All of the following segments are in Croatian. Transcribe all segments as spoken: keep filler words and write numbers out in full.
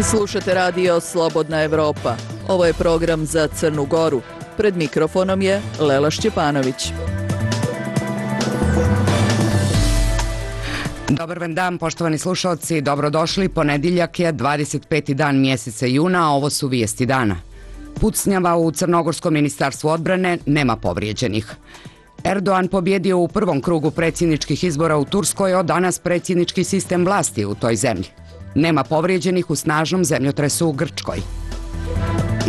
Slušate radio Slobodna Evropa. Ovo je program za Crnu Goru. Pred mikrofonom je Lela Šćepanović. Dobar vam dan, poštovani slušalci, dobrodošli. Ponedjeljak je dvadeset peti dan mjeseca juna, a ovo su vijesti dana. Pucnjava u Crnogorskom ministarstvu odbrane, nema povrijeđenih. Erdogan pobjedio u prvom krugu predsjedničkih izbora u Turskoj, od danas predsjednički sistem vlasti u toj zemlji. Nema povrijeđenih u snažnom zemljotresu u Grčkoj.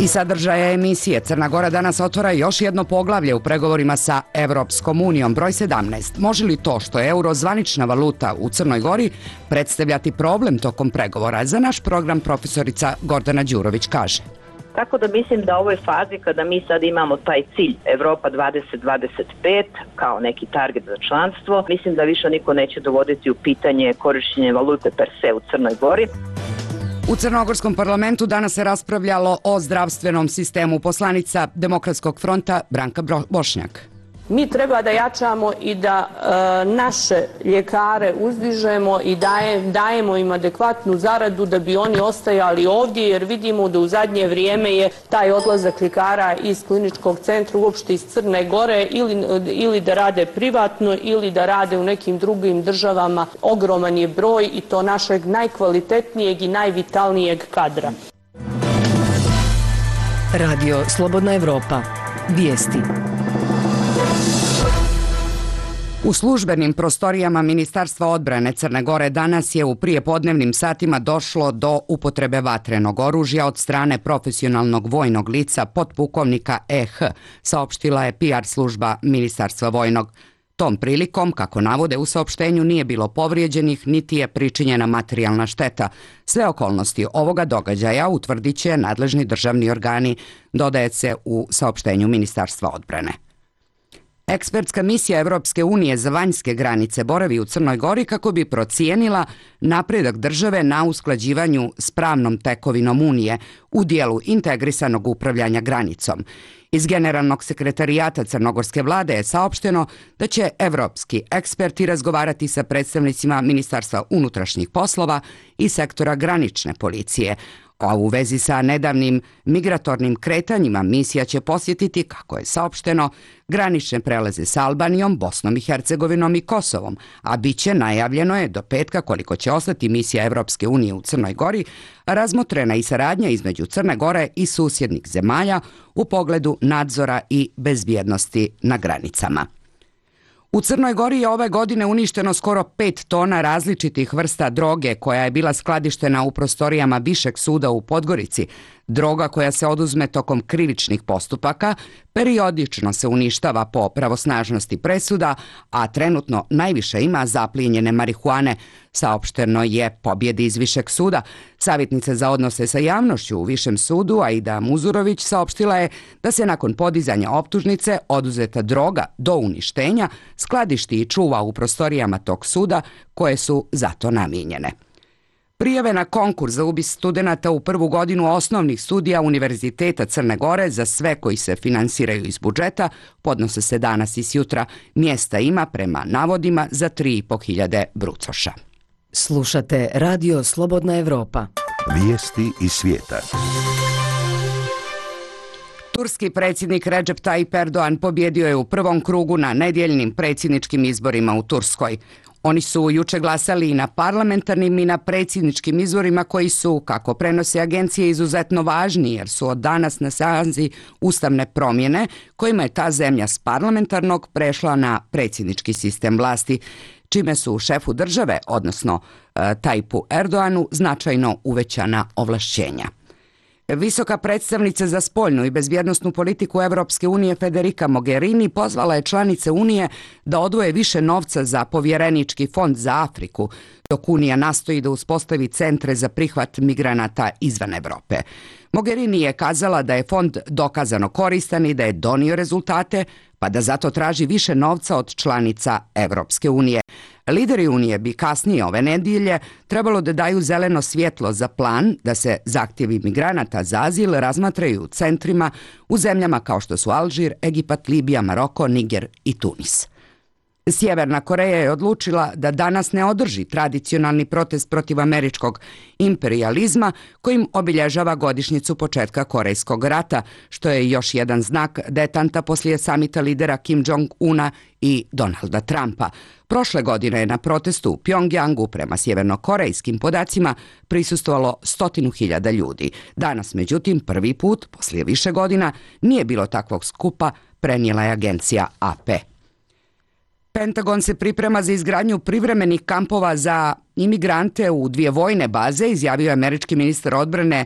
I sadržaja emisije Crna Gora danas otvara još jedno poglavlje u pregovorima sa Evropskom unijom, broj sedamnaest. Može li to što je euro zvanična valuta u Crnoj Gori predstavljati problem tokom pregovora? Za naš program profesorica Gordana Đurović kaže. Tako da mislim da u ovoj fazi kada mi sad imamo taj cilj Evropa dvadeset dvadeset pet kao neki target za članstvo, mislim da više niko neće dovoditi u pitanje korištenje valute per se u Crnoj Gori. U Crnogorskom parlamentu danas se raspravljalo o zdravstvenom sistemu. Poslanica Demokratskog fronta Branka Bošnjak. Mi treba da jačamo i da e, naše ljekare uzdižemo i daje, dajemo im adekvatnu zaradu da bi oni ostajali ovdje, jer vidimo da u zadnje vrijeme je taj odlazak ljekara iz kliničkog centra uopšte iz Crne Gore ili, ili da rade privatno ili da rade u nekim drugim državama. Ogroman je broj i to našeg najkvalitetnijeg i najvitalnijeg kadra. Radio Slobodna Evropa. Vijesti. U službenim prostorijama Ministarstva odbrane Crne Gore danas je u prijepodnevnim satima došlo do upotrebe vatrenog oružja od strane profesionalnog vojnog lica potpukovnika E H, saopštila je P R služba Ministarstva vojnog. Tom prilikom, kako navode u saopštenju, nije bilo povrijeđenih niti je pričinjena materijalna šteta. Sve okolnosti ovoga događaja utvrdit će nadležni državni organi, dodaje se u saopštenju Ministarstva odbrane. Ekspertska misija Evropske unije za vanjske granice boravi u Crnoj Gori kako bi procijenila napredak države na usklađivanju s pravnom tekovinom Unije u dijelu integrisanog upravljanja granicom. Iz Generalnog sekretarijata Crnogorske vlade je saopšteno da će evropski eksperti razgovarati sa predstavnicima Ministarstva unutrašnjih poslova i sektora granične policije. A u vezi sa nedavnim migratornim kretanjima misija će posjetiti, kako je saopšteno, granične prelaze s Albanijom, Bosnom i Hercegovinom i Kosovom, a bit će, najavljeno je, do petka koliko će ostati misija Evropske unije u Crnoj Gori, razmotrena i saradnja između Crne Gore i susjednih zemalja u pogledu nadzora i bezbjednosti na granicama. U Crnoj Gori je ove godine uništeno skoro pet tona različitih vrsta droge koja je bila skladištena u prostorijama Višeg suda u Podgorici. Droga koja se oduzme tokom krivičnih postupaka periodično se uništava po pravosnažnosti presuda, a trenutno najviše ima zaplijenjene marihuane, saopšteno je Pobjedi iz Višeg suda. Savjetnica za odnose sa javnošću u Višem sudu, Aida Muzurović, saopštila je da se nakon podizanja optužnice oduzeta droga do uništenja skladišti i čuva u prostorijama tog suda koje su zato namijenjene. Prijave na konkurs za upis studenata u prvu godinu osnovnih studija Univerziteta Crne Gore za sve koji se finansiraju iz budžeta podnose se danas i sjutra. Mjesta ima, prema navodima, za tri i po hiljade brucoša. Slušate Radio Slobodna Evropa. Vijesti iz svijeta. Turski predsjednik Recep Tayyip Erdogan pobjedio je u prvom krugu na nedjeljnim predsjedničkim izborima u Turskoj. Oni su juče glasali i na parlamentarnim i na predsjedničkim izborima koji su, kako prenose agencije, izuzetno važni jer su od danas na snazi ustavne promjene kojima je ta zemlja s parlamentarnog prešla na predsjednički sistem vlasti, čime su šefu države, odnosno e, Tayyipu Erdoganu, značajno uvećana ovlašćenja. Visoka predstavnica za spoljnu i bezbjednosnu politiku Evropske unije Federica Mogherini pozvala je članice Unije da odvoje više novca za povjerenički fond za Afriku, dok Unija nastoji da uspostavi centre za prihvat migranata izvan Evrope. Mogherini je kazala da je fond dokazano koristan i da je donio rezultate, pa da zato traži više novca od članica Evropske unije. Lideri Unije bi kasnije ove nedjelje trebalo da daju zeleno svjetlo za plan da se zahtjevi migranata za azil razmatraju u centrima u zemljama kao što su Alžir, Egipat, Libija, Maroko, Niger i Tunis. Sjeverna Koreja je odlučila da danas ne održi tradicionalni protest protiv američkog imperijalizma kojim obilježava godišnjicu početka Korejskog rata, što je još jedan znak detanta poslije samita lidera Kim Jong-una i Donalda Trumpa. Prošle godine je na protestu u Pjongjangu prema sjevernokorejskim podacima prisustvovalo stotinu hiljada ljudi. Danas, međutim, prvi put, poslije više godina, nije bilo takvog skupa, prenijela je agencija A P. Pentagon se priprema za izgradnju privremenih kampova za imigrante u dvije vojne baze, izjavio je američki ministar odbrane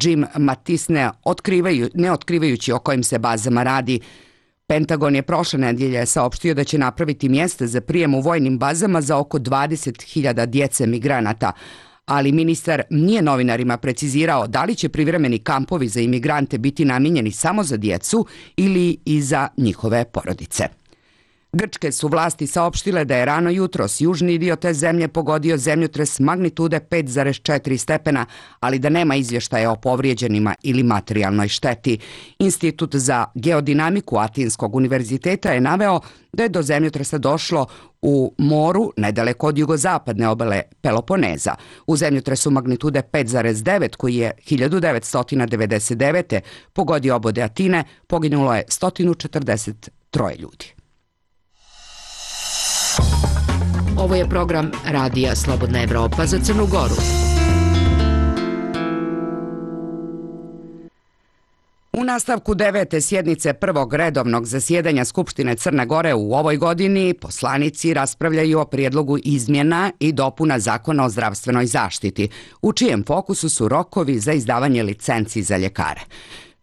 Jim Mattis, ne, otkrivaju, ne otkrivajući o kojim se bazama radi. Pentagon je prošle nedjelje saopštio da će napraviti mjesta za prijem u vojnim bazama za oko dvadeset hiljada djece migranata, ali ministar nije novinarima precizirao da li će privremeni kampovi za imigrante biti namijenjeni samo za djecu ili i za njihove porodice. Grčke su vlasti saopštile da je rano jutros južni dio te zemlje pogodio zemljotres magnitude pet zarez četiri stepena, ali da nema izvještaja o povrijeđenima ili materijalnoj šteti. Institut za geodinamiku Atinskog univerziteta je naveo da je do zemljotresa došlo u moru nedaleko od jugozapadne obale Peloponeza. U zemljotresu magnitude pet zarez devet koji je hiljadu devetsto devedeset devete. pogodio obode Atine, poginulo je sto četrdeset troje ljudi. Ovo je program Radija Slobodna Evropa za Crnu Goru. U nastavku devete sjednice prvog redovnog zasjedanja Skupštine Crne Gore u ovoj godini poslanici raspravljaju o prijedlogu izmjena i dopuna Zakona o zdravstvenoj zaštiti, u čijem fokusu su rokovi za izdavanje licenci za ljekare.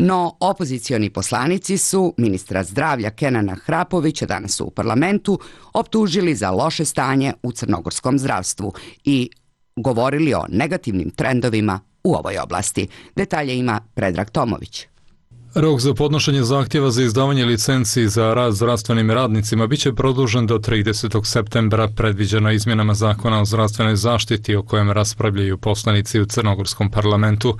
No, opozicioni poslanici su ministra zdravlja Kenana Hrapovića danas u parlamentu optužili za loše stanje u crnogorskom zdravstvu i govorili o negativnim trendovima u ovoj oblasti. Detalje ima Predrag Tomović. Rok za podnošenje zahtjeva za izdavanje licenci za rad zdravstvenim radnicima biće produžen do tridesetog septembra, predviđeno izmjenama Zakona o zdravstvenoj zaštiti o kojem raspravljaju poslanici u crnogorskom parlamentu.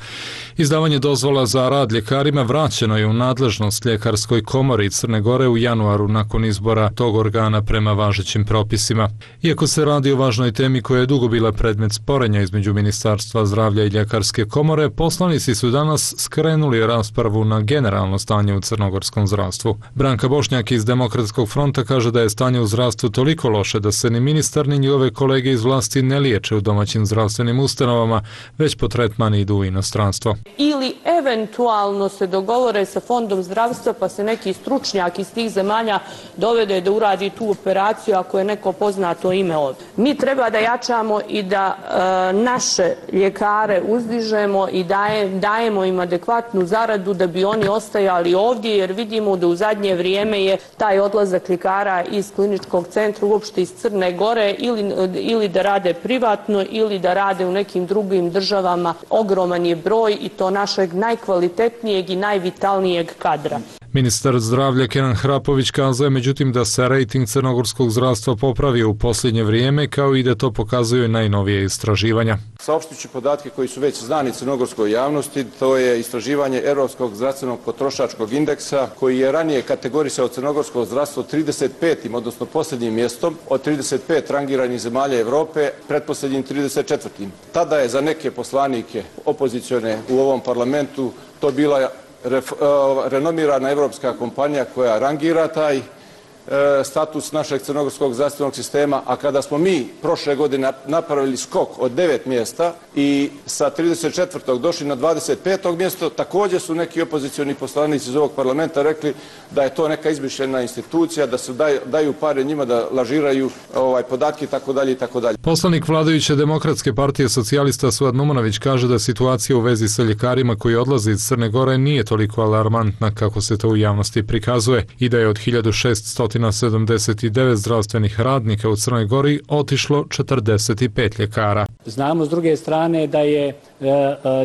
Izdavanje dozvola za rad ljekarima vraćeno je u nadležnost Ljekarskoj komori Crne Gore u januaru nakon izbora tog organa prema važećim propisima. Iako se radi o važnoj temi koja je dugo bila predmet sporenja između Ministarstva zdravlja i Ljekarske komore, poslanici su danas skrenuli raspravu na generalno stanje u crnogorskom zdravstvu. Branka Bošnjak iz Demokratskog fronta kaže da je stanje u zdravstvu toliko loše da se ni ministar ni njihove kolege iz vlasti ne liječe u domaćim zdravstvenim ustanovama, već po tretman idu u inostranstvo. Ili eventualno se dogovore sa fondom zdravstva pa se neki stručnjak iz tih zemalja dovede da uradi tu operaciju ako je neko poznato ime ovdje. Mi treba da jačamo i da e, naše ljekare uzdižemo i daje, dajemo im adekvatnu zaradu da bi oni ostajali ovdje, jer vidimo da u zadnje vrijeme je taj odlazak ljekara iz kliničkog centra uopšte iz Crne Gore ili, ili da rade privatno ili da rade u nekim drugim državama. Ogroman je broj i to našeg najkvalitetnijeg i najvitalnijeg kadra. Ministar zdravlja Kenan Hrapović kazao je međutim da se rejting crnogorskog zdravstva popravio u posljednje vrijeme, kao i da to pokazuju najnovije istraživanja. Saopštiću podatke koji su već znani crnogorskoj javnosti, to je istraživanje Europskog zdravstvenog potrošačkog indeksa, koji je ranije kategorisao crnogorsko zdravstvo trideset petim, odnosno posljednjim mjestom od trideset pet rangiranih zemalja Europe, pretposljednjim trideset četvrtim. Tada je za neke poslanike opozicione u ovom parlamentu to bila Ref, uh, renomirana evropska kompanija koja rangira taj uh, status našeg crnogorskog zdravstvenog sistema, a kada smo mi prošle godine napravili skok od devet mjesta i sa trideset četvrtog došli na dvadeset peto mjesto, također su neki opozicioni poslanici iz ovog parlamenta rekli da je to neka izmišljena institucija, da se daju, daju pare njima da lažiraju ovaj, podatke itd. itd. Poslanik vladajuće Demokratske partije socijalista Suad Numunović kaže da situacija u vezi sa ljekarima koji odlaze iz Crne Gore nije toliko alarmantna kako se to u javnosti prikazuje i da je od hiljadu šeststo sedamdeset devet zdravstvenih radnika u Crnoj Gori otišlo četrdeset pet ljekara. Znamo s druge strane da je,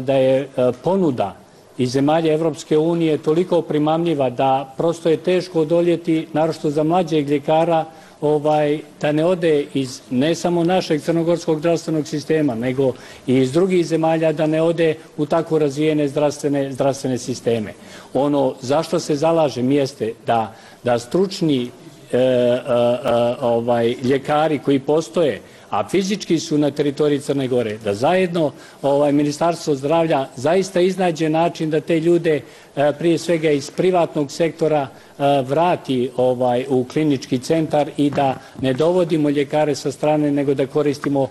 da je ponuda iz zemalja Evropske unije toliko primamljiva da prosto je teško odoljeti, naročito za mlađeg ljekara, ovaj, da ne ode iz ne samo našeg crnogorskog zdravstvenog sistema, nego i iz drugih zemalja, da ne ode u tako razvijene zdravstvene, zdravstvene sisteme. Ono zašto se zalažem jeste da, da stručni e, e, ovaj, ljekari koji postoje, a fizički su na teritoriji Crne Gore, da zajedno ovaj, Ministarstvo zdravlja zaista iznađe način da te ljude e, prije svega iz privatnog sektora e, vrati ovaj, u klinički centar i da ne dovodimo ljekare sa strane, nego da koristimo e,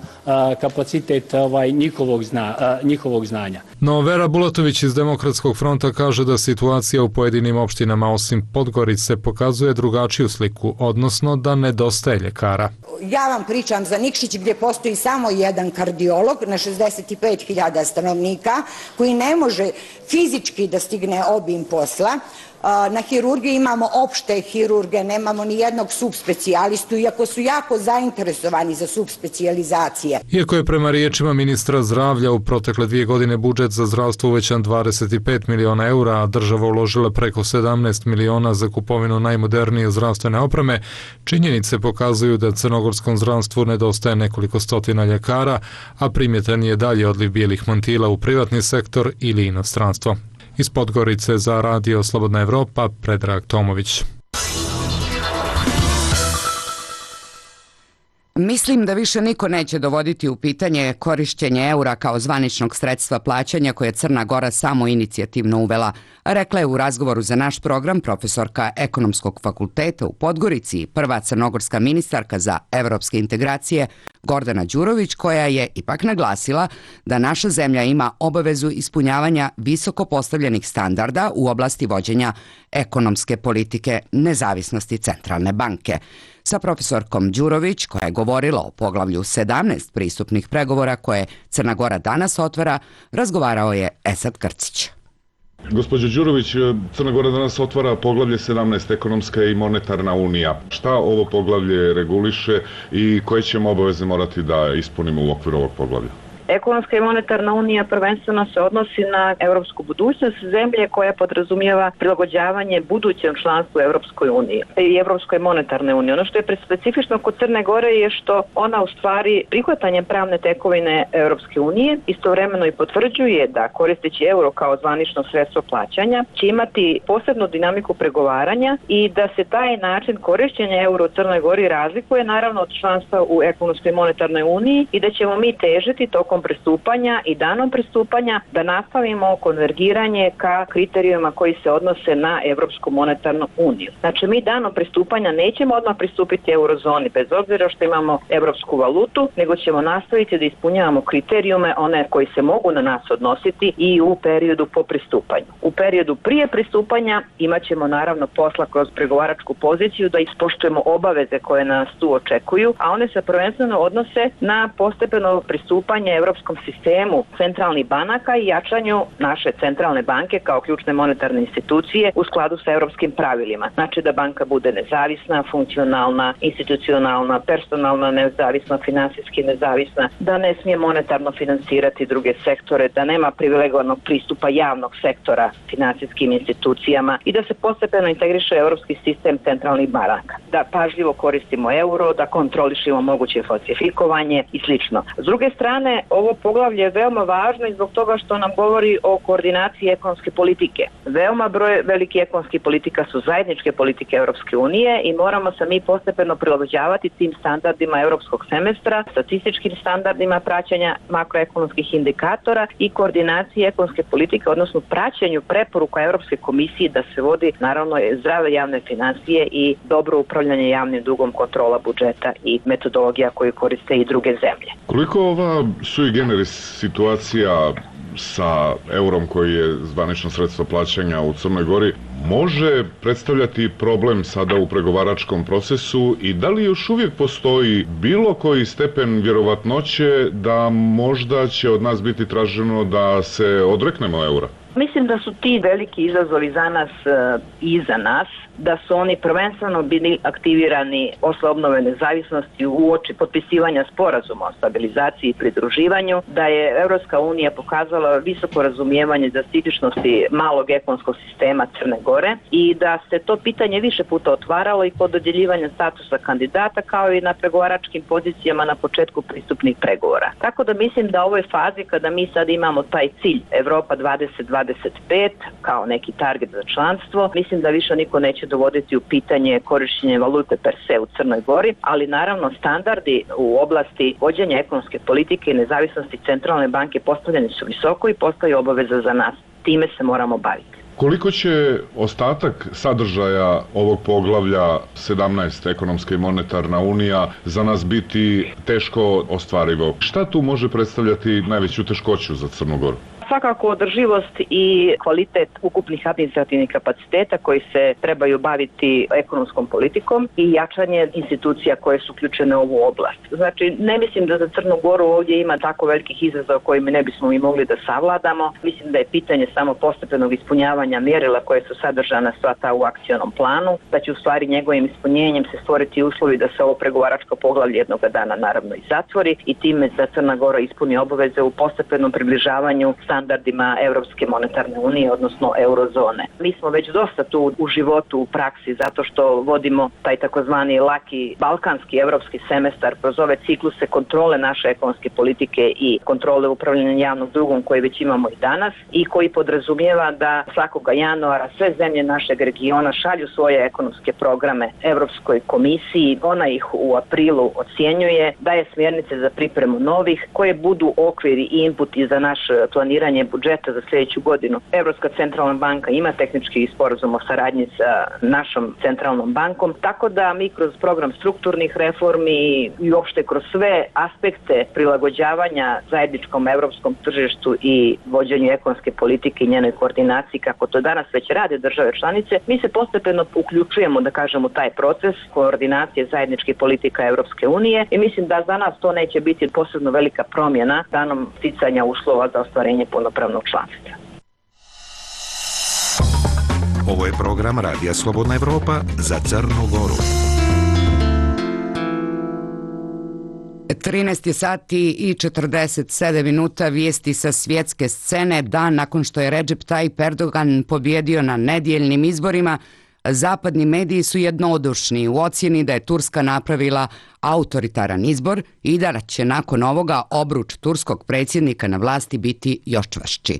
kapacitet ovaj, njihovog, zna, e, njihovog znanja. No, Vera Bulatović iz Demokratskog fronta kaže da situacija u pojedinim opštinama osim Podgorice pokazuje drugačiju sliku, odnosno da nedostaje ljekara. Ja vam pričam za Nikšić gdje postoji samo jedan kardiolog na šezdeset pet hiljada stanovnika koji ne može fizički da stigne obim posla. Na hirurgiji imamo opšte hirurge, nemamo ni jednog subspecijalistu, iako su jako zainteresovani za subspecijalizacije. Iako je prema riječima ministra zdravlja u protekle dvije godine budžet za zdravstvo uvećan dvadeset pet miliona eura, a država uložila preko sedamnaest miliona za kupovinu najmodernije zdravstvene opreme, činjenice pokazuju da crnogorskom zdravstvu nedostaje nekoliko stotina ljekara, a primjetan je dalje odliv bijelih mantila u privatni sektor ili inostranstvo. Iz Podgorice za Radio Slobodna Evropa, Predrag Tomović. Mislim da više niko neće dovoditi u pitanje korišćenje eura kao zvaničnog sredstva plaćanja koje je Crna Gora samo inicijativno uvela, rekla je u razgovoru za naš program profesorka Ekonomskog fakulteta u Podgorici i prva crnogorska ministarka za evropske integracije Gordana Đurović, koja je ipak naglasila da naša zemlja ima obavezu ispunjavanja visoko postavljenih standarda u oblasti vođenja ekonomske politike nezavisnosti Centralne banke. Sa profesorkom Đurović, koja je govorila o poglavlju sedamnaest pristupnih pregovora koje Crna Gora danas otvara, razgovarao je Esad Krcić. Gospođo Đurović, Crna Gora danas otvara poglavlje sedamnaest, ekonomska i monetarna unija. Šta ovo poglavlje reguliše i koje ćemo obaveze morati da ispunimo u okviru ovog poglavlja? Ekonomska i monetarna unija prvenstveno se odnosi na europsku budućnost zemlje koja podrazumijeva prilagođavanje budućem članstvu Europskoj uniji i Europskoj monetarne unije. Ono što je specifično kod Crne Gore je što ona u stvari prihvatanjem pravne tekovine Europske unije istovremeno i potvrđuje da koristeći euro kao zvanično sredstvo plaćanja će imati posebnu dinamiku pregovaranja i da se taj način korišćenja euro u Crnoj Gori razlikuje naravno od članstva u Ekonomskoj i monetarnoj uniji i da ćemo mi težiti tokom pristupanja i danom pristupanja da nastavimo konvergiranje ka kriterijima koji se odnose na Evropsku monetarnu uniju. Znači mi danom pristupanja nećemo odmah pristupiti eurozoni bez obzira što imamo evropsku valutu, nego ćemo nastaviti da ispunjavamo kriterijume one koji se mogu na nas odnositi i u periodu po pristupanju. U periodu prije pristupanja imat ćemo naravno posla kroz pregovaračku poziciju da ispoštujemo obaveze koje nas tu očekuju, a one se prvenstveno odnose na postepeno pristupanje evropskom sistemu centralnih banaka i jačanju naše centralne banke kao ključne monetarne institucije u skladu sa evropskim pravilima. Znači da banka bude nezavisna, funkcionalna, institucionalna, personalna, nezavisna, finansijski nezavisna, da ne smije monetarno finansirati druge sektore, da nema privilegovanog pristupa javnog sektora finansijskim institucijama i da se postepeno integriše evropski sistem centralnih banaka. Da pažljivo koristimo euro, da kontrolišemo moguće falsifikovanje i slično. S druge strane, ovo poglavlje je veoma važno i zbog toga što nam govori o koordinaciji ekonomske politike. Veoma broj velike ekonomskih politika su zajedničke politike Europske unije i moramo se mi postepeno prilagođavati tim standardima europskog semestra, statističkim standardima praćenja makroekonomskih indikatora i koordinacije ekonomske politike, odnosno praćenju preporuka Europske komisije da se vodi naravno zdrave javne financije i dobro upravljanje javnim dugom, kontrola budžeta i metodologija koju koriste i druge zemlje. Koliko ova sui generis situacija sa eurom koji je zvanično sredstvo plaćanja u Crnoj Gori može predstavljati problem sada u pregovaračkom procesu i da li još uvijek postoji bilo koji stepen vjerovatnoće da možda će od nas biti traženo da se odreknemo eura? Mislim da su ti veliki izazovi za nas i za nas, da su oni prvenstveno bili aktivirani posle obnove nezavisnosti u oči potpisivanja sporazuma o stabilizaciji i pridruživanju, da je Evropska unija pokazala visoko razumijevanje za specifičnosti malog ekonomskog sistema Crne Gore i da se to pitanje više puta otvaralo i kod dodjeljivanja statusa kandidata kao i na pregovaračkim pozicijama na početku pristupnih pregovora. Tako da mislim da u ovoj fazi kada mi sad imamo taj cilj Evropa dvadeset dvadeset dvadeset pet kao neki target za članstvo. Mislim da više niko neće dovoditi u pitanje korištenje valute per se u Crnoj Gori, ali naravno standardi u oblasti vođenja ekonomske politike i nezavisnosti centralne banke postavljeni su visoko i postoji obaveza za nas. Time se moramo baviti. Koliko će ostatak sadržaja ovog poglavlja sedamnaest, ekonomska i monetarna unija, za nas biti teško ostvarivo? Šta tu može predstavljati najveću teškoću za Crnu Goru? Svakako održivost i kvalitet ukupnih administrativnih kapaciteta koji se trebaju baviti ekonomskom politikom i jačanje institucija koje su uključene u ovu oblast. Znači, ne mislim da za Crnu Goru ovdje ima tako velikih izazova koje mi ne bismo i mogli da savladamo. Mislim da je pitanje samo postepenog ispunjavanja mjerila koje su sadržana sva ta u akcionom planu, da će u stvari njegovim ispunjenjem se stvoriti uslovi da se ovo pregovaračko poglavlje jednoga dana naravno i zatvori i time da Crna Gora ispuni obaveze u postepenom približavanju standardima Europske monetarne unije, odnosno eurozone. Mi smo već dosta tu u životu, u praksi, zato što vodimo taj takozvani laki balkanski evropski semestar kroz ove cikluse kontrole naše ekonomske politike i kontrole upravljanja javnog dugom koje već imamo i danas i koji podrazumijeva da svakoga januara sve zemlje našeg regiona šalju svoje ekonomske programe Europskoj komisiji, ona ih u aprilu ocjenjuje, daje smjernice za pripremu novih koje budu okviri i inputi za naš planiranje budžeta za sljedeću godinu. Europska centralna banka ima tehnički sporazum o saradnji sa našom centralnom bankom, tako da mi kroz program strukturnih reformi i uopšte kroz sve aspekte prilagođavanja zajedničkom europskom tržištu i vođenju ekonomske politike i njenoj koordinaciji, kako to danas već rade države članice, mi se postepeno uključujemo, da kažemo, taj proces koordinacije zajedničke politika Europske unije i mislim da za nas to neće biti posebno velika promjena danom sticanja uslova za ostvarenje punopravnog članstva. Ovo je program Radija Slobodna Evropa za Crnu Goru. trinaest je sati i četrdeset sedam minuta, vijesti sa svjetske scene. Dan nakon što je Recep Tayyip Erdogan pobjedio na nedjeljnim izborima, zapadni mediji su jednodušni u ocjeni da je Turska napravila autoritaran izbor i da će nakon ovoga obruč turskog predsjednika na vlasti biti još čvršći.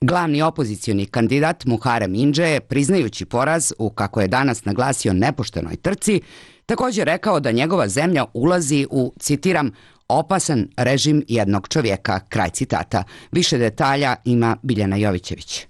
Glavni opozicioni kandidat Muharrem Ince je, priznajući poraz u, kako je danas naglasio, nepoštenoj trci, također rekao da njegova zemlja ulazi u, citiram, opasan režim jednog čovjeka, kraj citata. Više detalja ima Biljana Jovićević.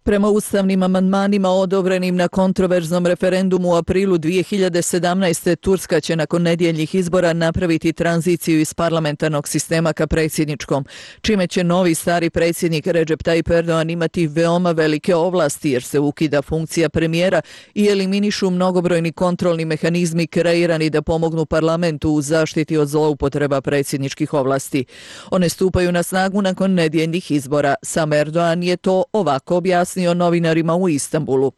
Prema ustavnim amandmanima odobrenim na kontroverznom referendumu u aprilu dvije hiljade sedamnaeste. Turska će nakon nedjeljnih izbora napraviti tranziciju iz parlamentarnog sistema ka predsjedničkom, čime će novi stari predsjednik Recep Tayyip Erdogan imati veoma velike ovlasti jer se ukida funkcija premijera i eliminišu mnogobrojni kontrolni mehanizmi kreirani da pomognu parlamentu u zaštiti od zloupotreba predsjedničkih ovlasti. One stupaju na snagu nakon nedjeljnih izbora. Sam Erdogan je to ovako objasnio novinarima u Istanbulu.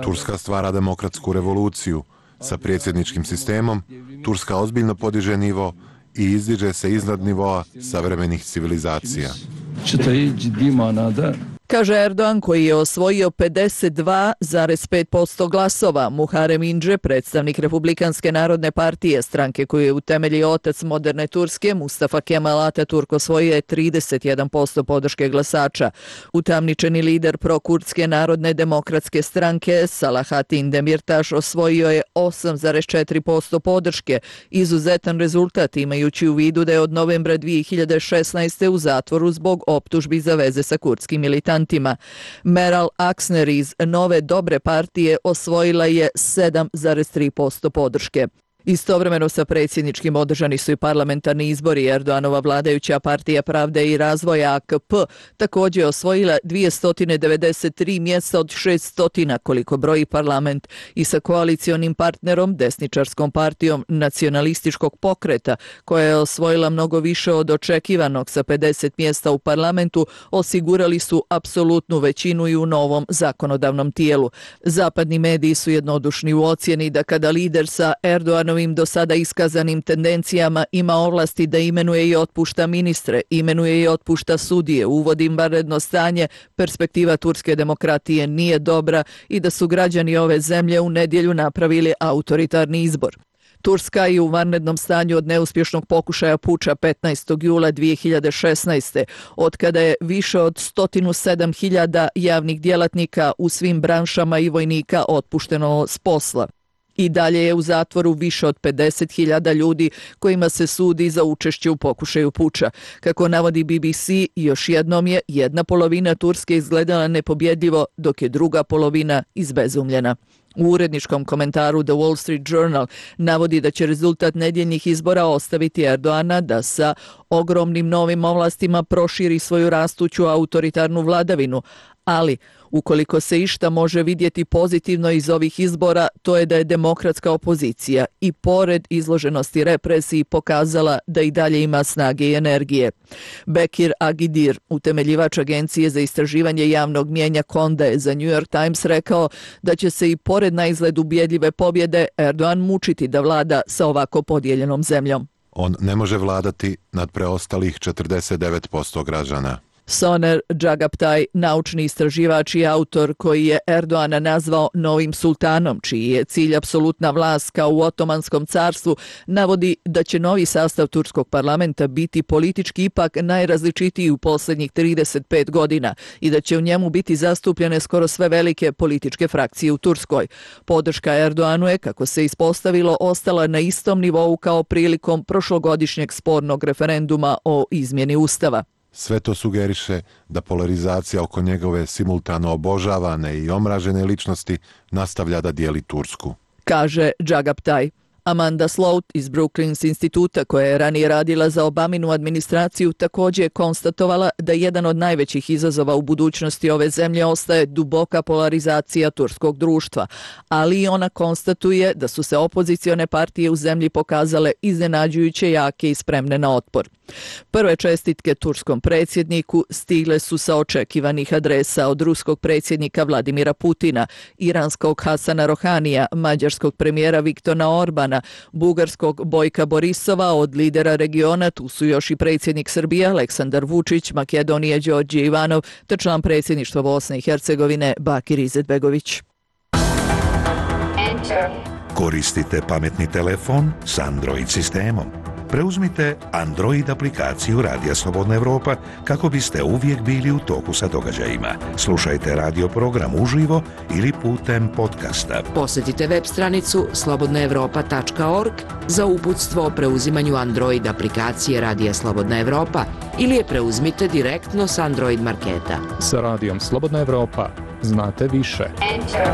Turska stvara demokratsku revoluciju. Sa predsjedničkim sistemom Turska ozbiljno podiže nivo i izdiže se iznad nivoa savremenih civilizacija. Kaže Erdogan, koji je osvojio pedeset dva zarez pet posto glasova. Muharrem Ince, predstavnik Republikanske narodne partije, stranke koju je utemeljio otac moderne Turske, Mustafa Kemal Ataturk, osvojio je trideset jedan posto podrške glasača. Utamničeni lider prokurdske narodne demokratske stranke Salahatin Demirtaš osvojio je osam zarez četiri posto podrške. Izuzetan rezultat imajući u vidu da je od novembra dvije hiljade šesnaeste. u zatvoru zbog optužbi za veze sa kurdskim militantima. Meral Aksner iz Nove dobre partije osvojila je sedam zarez tri posto podrške. Istovremeno sa predsjedničkim održani su i parlamentarni izbori. Erdoganova vladajuća partija Pravde i razvoja A K P također je osvojila dvjesto devedeset tri mjesta od šesto koliko broji parlament i sa koalicionim partnerom, desničarskom partijom nacionalističkog pokreta, koja je osvojila mnogo više od očekivanog sa pedeset mjesta u parlamentu, osigurali su apsolutnu većinu i u novom zakonodavnom tijelu. Zapadni mediji su jednodušni u ocjeni da kada lider sa Erdoganom do sada iskazanim tendencijama ima ovlasti da imenuje i otpušta ministre, imenuje i otpušta sudije, uvodi vanredno stanje, perspektiva turske demokratije nije dobra i da su građani ove zemlje u nedjelju napravili autoritarni izbor. Turska je u vanrednom stanju od neuspješnog pokušaja puča petnaestog jula dvije hiljade šesnaeste. od kada je više od sto sedam hiljada javnih djelatnika u svim branšama i vojnika otpušteno s posla. I dalje je u zatvoru više od pedeset hiljada ljudi kojima se sudi za učešće u pokušaju puča. Kako navodi B B C, još jednom je jedna polovina Turske izgledala nepobjedljivo, dok je druga polovina izbezumljena. U uredničkom komentaru The Wall Street Journal navodi da će rezultat nedjeljnih izbora ostaviti Erdoana da sa ogromnim novim ovlastima proširi svoju rastuću autoritarnu vladavinu, ali ukoliko se išta može vidjeti pozitivno iz ovih izbora, to je da je demokratska opozicija i pored izloženosti represiji pokazala da i dalje ima snage i energije. Bekir Agidir, utemeljivač agencije za istraživanje javnog mnijenja Konde, je za New York Times rekao da će se i pored na izgled ubjedljive pobjede Erdogan mučiti da vlada sa ovako podijeljenom zemljom. On ne može vladati nad preostalih četrdeset devet posto građana. Soner Džagaptaj, naučni istraživač i autor koji je Erdoana nazvao novim sultanom, čiji je cilj apsolutna vlast kao u Otomanskom carstvu, navodi da će novi sastav turskog parlamenta biti politički ipak najrazličitiji u posljednjih trideset pet godina i da će u njemu biti zastupljene skoro sve velike političke frakcije u Turskoj. Podrška Erdoanu je, kako se ispostavilo, ostala na istom nivou kao prilikom prošlogodišnjeg spornog referenduma o izmjeni ustava. Sve to sugeriše da polarizacija oko njegove simultano obožavane i omražene ličnosti nastavlja da dijeli Tursku, kaže Džagaptaj. Amanda Sloat iz Brookings instituta, koja je ranije radila za Obaminu administraciju, također je konstatovala da jedan od najvećih izazova u budućnosti ove zemlje ostaje duboka polarizacija turskog društva, ali i ona konstatuje da su se opozicione partije u zemlji pokazale iznenađujuće jake i spremne na otpor. Prve čestitke turskom predsjedniku stigle su sa očekivanih adresa od ruskog predsjednika Vladimira Putina, iranskog Hasana Rohanija, mađarskog premijera Viktora Orbana, bugarskog Bojka Borisova, od lidera regiona tu su još i predsjednik Srbije Aleksandar Vučić, Makedonije Đorđe Ivanov te član predsjedništva Bosne i Hercegovine Bakir Izetbegović. Koristite pametni telefon s Android sistemom. Preuzmite Android aplikaciju Radija Slobodna Evropa kako biste uvijek bili u toku sa događajima. Slušajte radio program uživo ili putem podcasta. Posjetite web stranicu slobodna evropa tačka org za uputstvo o preuzimanju Android aplikacije Radija Slobodna Evropa ili je preuzmite direktno s Android marketa. Sa Radijom Slobodna Evropa znate više. Enter.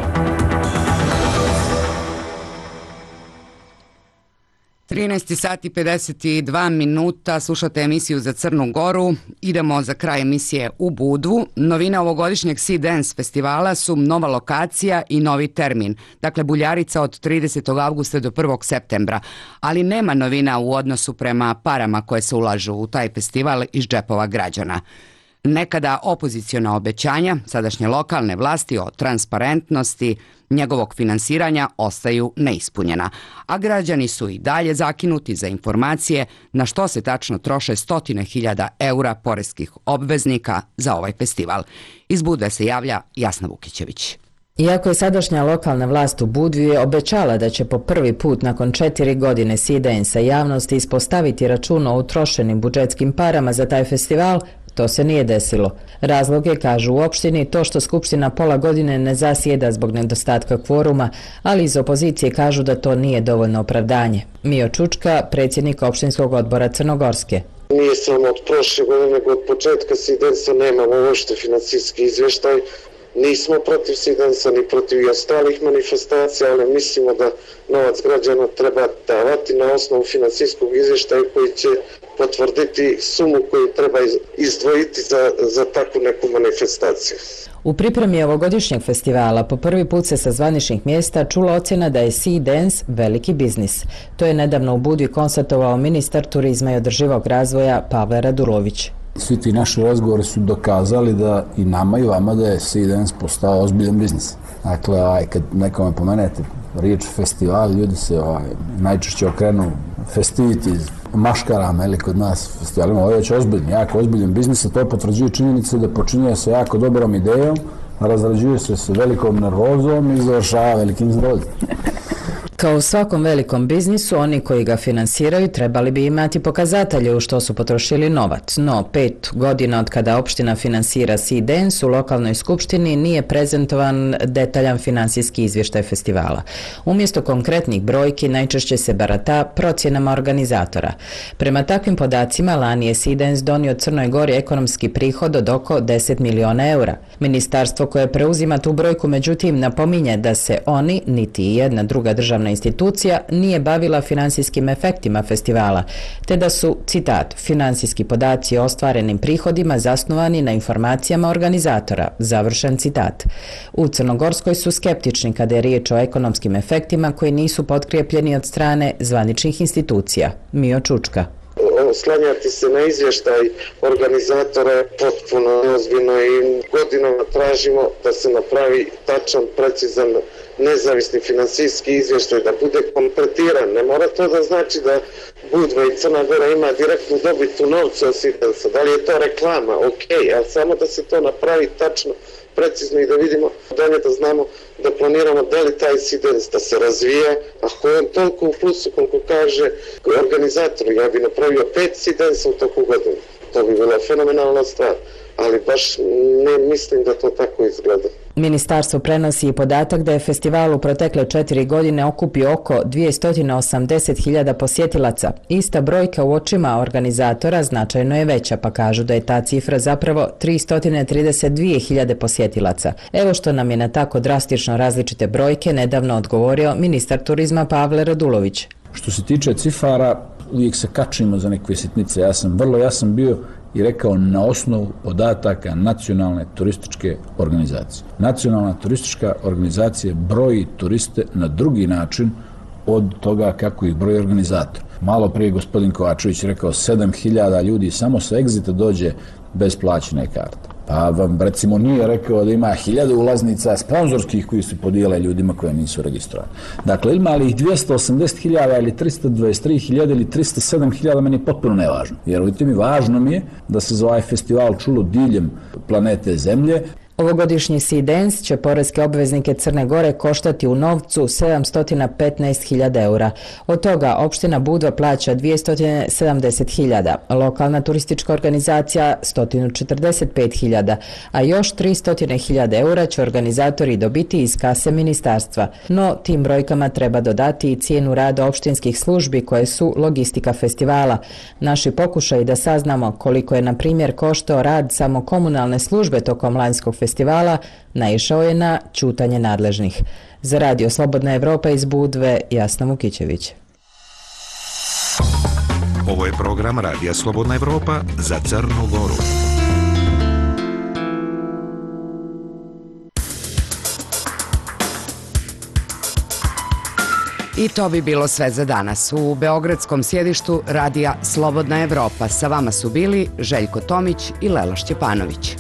trinaest sati pedeset dva minuta, slušate emisiju za Crnu Goru. Idemo za kraj emisije u Budvu. Novina ovogodišnjeg Sea Dance festivala su nova lokacija i novi termin. Dakle, Buljarica od tridesetog avgusta do prvog septembra. Ali nema novina u odnosu prema parama koje se ulažu u taj festival iz džepova građana. Nekada opoziciona obećanja sadašnje lokalne vlasti o transparentnosti njegovog finansiranja ostaju neispunjena, a građani su i dalje zakinuti za informacije na što se tačno troše stotine hiljada eura poreskih obveznika za ovaj festival. Iz Budve se javlja Jasna Vukićević. Iako je sadašnja lokalna vlast u Budvi obećala da će po prvi put nakon četiri godine Sea Dance-a javnosti ispostaviti račun o utrošenim budžetskim parama za taj festival, to se nije desilo. Razlog je, kažu u opštini, to što Skupština pola godine ne zasjeda zbog nedostatka kvoruma, ali iz opozicije kažu da to nije dovoljno opravdanje. Mio Čučka, predsjednik opštinskog odbora Crnogorske. Nije samo od prošle godine, nego od početka Sea Dance-a nemamo uopšte financijski izvještaj. Nismo protiv Sea Dance-a ni protiv i ostalih manifestacija, ali mislimo da novac građana treba davati na osnovu financijskog izvještaja koji će potvrditi sumu koju treba izdvojiti za, za takvu neku manifestaciju. U pripremi ovogodišnjeg festivala po prvi put se sa zvaničnih mjesta čula ocjena da je Sea Dance veliki biznis. To je nedavno u Budvi konstatovao ministar turizma i održivog razvoja Pavle Radulović. Svi ti naši razgovori su dokazali da i nama i vama da je Sea Dance postao ozbiljan biznis. Dakle, aj, kad nekome pomenete riječ festival, ljudi se aj, najčešće okrenu festivities, maškarama, ili kod nas festivalima, ovo je već ozbiljan, jako ozbiljan biznis, a to potvrđuje činjenice da počinje se jako dobrom idejom, razrađuje se s velikom nervozom i završava velikim zdravljem. Kao u svakom velikom biznisu, oni koji ga finansiraju trebali bi imati pokazatelje u što su potrošili novac, no pet godina od kada opština finansira Sea Dance u lokalnoj skupštini nije prezentovan detaljan finansijski izvještaj festivala. Umjesto konkretnih brojki najčešće se barata procjenama organizatora. Prema takvim podacima lani je Sea Dance donio Crnoj Gori ekonomski prihod od oko deset miliona eura. Ministarstvo koje preuzima tu brojku međutim napominje da se oni, niti jedna druga državna institucija, nije bavila finansijskim efektima festivala, te da su, citat, finansijski podaci o ostvarenim prihodima zasnovani na informacijama organizatora, završen citat. U Crnogorskoj su skeptični kada je riječ o ekonomskim efektima koji nisu potkrijepljeni od strane zvaničnih institucija. Mio Čučka. Oslanjati se na izvještaj organizatora je potpuno neozbiljno i godinama tražimo da se napravi tačan, precizan, nezavisni finansijski izvještaj, da bude kompletiran. Ne mora to da znači da Budva i Crna Gora ima direktnu dobit u novcu od Sea Dance. Da li je to reklama? Ok, ali samo da se to napravi tačno, precizno i da vidimo dalje, da znamo da planiramo da li taj Sea Dance da se razvija, ako je on toliko u plusu koliko kaže organizator, ja bi napravio pet Sea Dance u toku godine. To bi bila fenomenalna stvar, ali baš ne mislim da to tako izgleda. Ministarstvo prenosi i podatak da je festival u protekle četiri godine okupio oko dvjesto osamdeset hiljada posjetilaca. Ista brojka u očima organizatora značajno je veća, pa kažu da je ta cifra zapravo tristo trideset dvije hiljade posjetilaca. Evo što nam je na tako drastično različite brojke nedavno odgovorio ministar turizma Pavle Radulović. Što se tiče cifara, uvijek se kačimo za neke sitnice. Ja sam vrlo jasan bio i rekao na osnovu podataka nacionalne turističke organizacije. Nacionalna turistička organizacija broji turiste na drugi način od toga kako ih broji organizator. Malo prije gospodin Kovačević rekao sedam hiljada ljudi samo sa Exita dođe bez plaćene karte. Pa vam recimo nije rekao da ima hiljade ulaznica sponzorskih koji se podijele ljudima koje nisu registrovani. Dakle, ima li ih dvjesto osamdeset hiljada ili tristo dvadeset tri hiljade ili tristo sedam hiljada, meni je potpuno nevažno. Vjerujte mi, važno mi je da se za ovaj festival čulo diljem planete Zemlje. Ovogodišnji Sea Dance će poreske obveznike Crne Gore koštati u novcu sedamsto petnaest hiljada eura. Od toga opština Budva plaća dvjesto sedamdeset hiljada, lokalna turistička organizacija sto četrdeset pet hiljada, a još tristo hiljada eura će organizatori dobiti iz kase ministarstva. No, tim brojkama treba dodati i cijenu rada opštinskih službi koje su logistika festivala. Naši pokušaji da saznamo koliko je, na primjer, koštao rad samo komunalne službe tokom lanjskog festivala naišao je na ćutanje nadležnih. Za Radio Slobodna Evropa iz Budve, Jasna Vukićević. Ovo je program Radija Slobodna Evropa za Crnu Goru. I to bi bilo sve za danas. U beogradskom sjedištu Radija Slobodna Evropa sa vama su bili Željko Tomić i Lela Šćepanović.